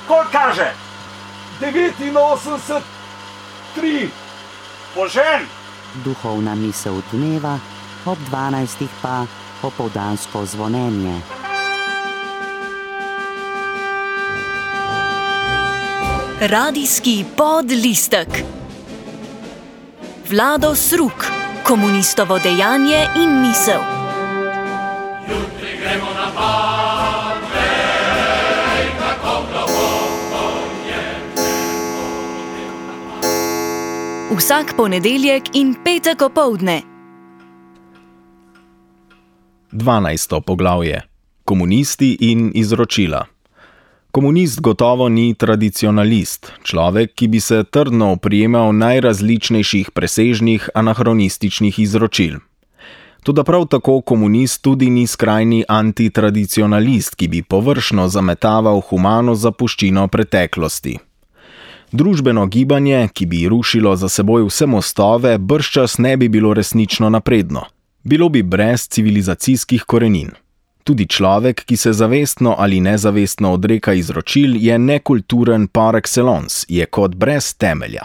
Koliko kaže? 89,3. Požen! Duhovna misel dneva, ob 12. pa popoldansko zvonjenje. Radijski podlistek. Vlado Sruk, komunistovo dejanje in misel. Jutri gremo na Parnej, kako globoko je nebo. Vsak ponedeljek in petek opoldne. 12. poglavje. Komunisti in izročila. Komunist gotovo ni tradicionalist, človek, ki bi se trdno oprijemal najrazličnejših presežnih anahronističnih izročil. Toda prav tako komunist tudi ni skrajni antitradicionalist, ki bi površno zametaval humano zapuščino preteklosti. Družbeno gibanje, ki bi rušilo za seboj vse mostove, bržčas ne bi bilo resnično napredno. Bilo bi brez civilizacijskih korenin. Tudi človek, ki se zavestno ali nezavestno odreka izročil, je nekulturen par excellence, je kot brez temelja.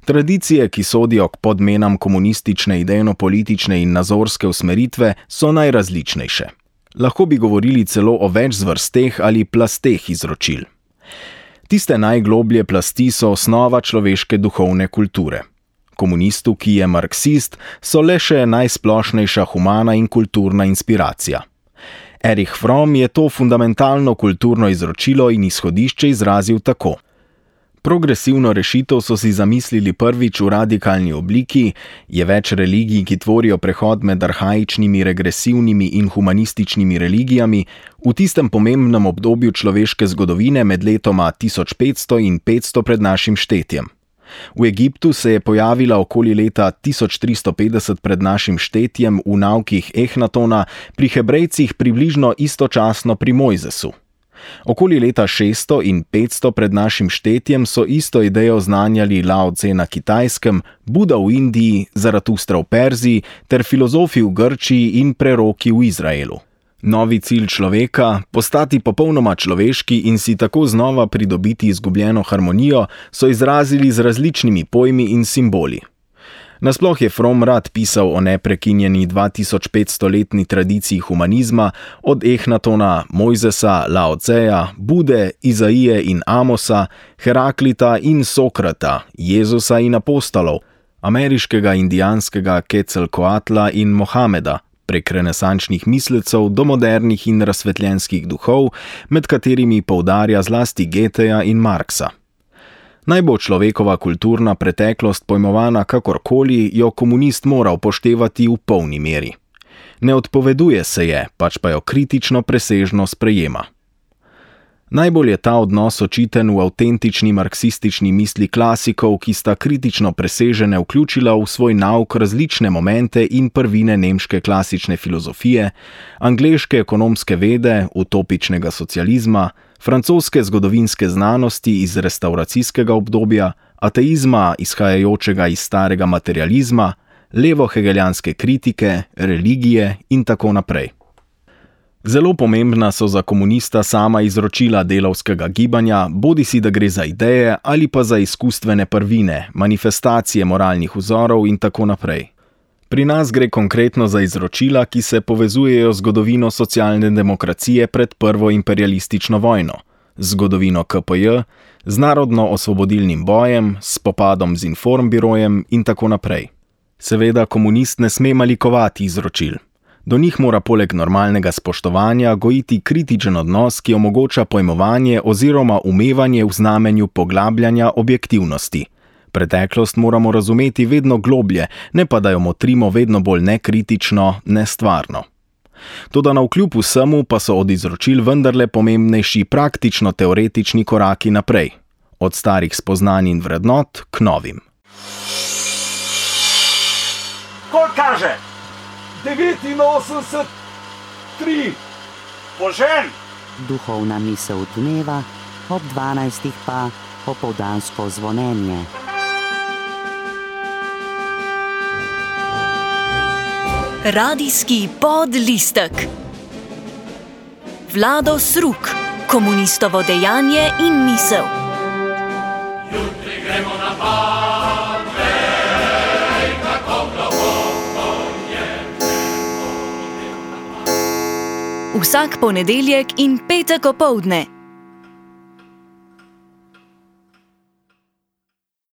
Tradicije, ki sodijo k podmenam komunistične idejno-politične in nazorske usmeritve, so najrazličnejše. Lahko bi govorili celo o več zvrsteh ali plasteh izročil. Tiste najgloblje plasti so osnova človeške duhovne kulture. Komunistu, ki je marksist, so le še najsplošnejša humana in kulturna inspiracija. Erich Fromm je to fundamentalno kulturno izročilo in izhodišče izrazil tako. Progresivno rešitev so si zamislili prvič v radikalni obliki, je več religij, ki tvorijo prehod med arhaičnimi, regresivnimi in humanističnimi religijami, v tistem pomembnem obdobju človeške zgodovine med letoma 1500 in 500 pred našim štetjem. V Egiptu se je pojavila okoli leta 1350 pred našim štetjem v naukih Ehnatona, pri Hebrejcih približno istočasno pri Mojzesu. Okoli leta 600 in 500 pred našim štetjem so isto idejo znanjali Lao Tse na Kitajskem, Buda v Indiji, Zaratustra v Perziji ter filozofi v Grčiji in preroki v Izraelu. Novi cilj človeka, postati popolnoma človeški in si tako znova pridobiti izgubljeno harmonijo, so izrazili z različnimi pojmi in simboli. Nasploh je Fromm rad pisal o neprekinjeni 2500-letni tradiciji humanizma, od Ehnatona, Mojzesa, Lao Tseja, Bude, Izaije in Amosa, Heraklita in Sokrata, Jezusa in apostolov, ameriškega indijanskega Quetzalcoatla in Mohameda, prek renesančnih mislecev do modernih in razsvetljenskih duhov, med katerimi poudarja zlasti Goetheja in Marxa. Naj bo človekova kulturna preteklost pojmovana kakorkoli, jo komunist mora upoštevati v polni meri. Ne odpoveduje se je, pač pa jo kritično presežno sprejema. Najbolj je ta odnos očiten v avtentični marksistični misli klasikov, ki sta kritično presežene vključila v svoj nauk različne momente in prvine nemške klasične filozofije, angleške ekonomske vede, utopičnega socializma, francoske zgodovinske znanosti iz restavracijskega obdobja, ateizma izhajajočega iz starega materializma, levo-hegeljanske kritike, religije in tako naprej. Zelo pomembna so za komunista sama izročila delavskega gibanja, bodisi da gre za ideje ali pa za izkustvene prvine, manifestacije moralnih vzorov in tako naprej. Pri nas gre konkretno za izročila, ki se povezujejo z zgodovino socialne demokracije pred prvo imperialistično vojno, z zgodovino KPJ, z narodno-osvobodilnim bojem, s spopadom z informbirojem in tako naprej. Seveda komunist ne sme malikovati izročil. Do njih mora poleg normalnega spoštovanja gojiti kritičen odnos, ki omogoča pojmovanje oziroma umevanje v znamenju poglabljanja objektivnosti. Preteklost moramo razumeti vedno globlje, ne pa da jo motrimo vedno bolj nekritično, nestvarno. Toda navkljub vsemu pa so od izročil vendarle pomembnejši praktično-teoretični koraki naprej. Od starih spoznanj in vrednot k novim. Koliko kaže? 89,3. Požen! Duhovna misel dneva, ob 12. pa popoldansko zvonjenje. Radijski podlistek. Vlado Sruk, Komunistovo dejanje in misel. Jutri gremo na pad, vej, kako globoko je. Vsak ponedeljek in petek opoldne.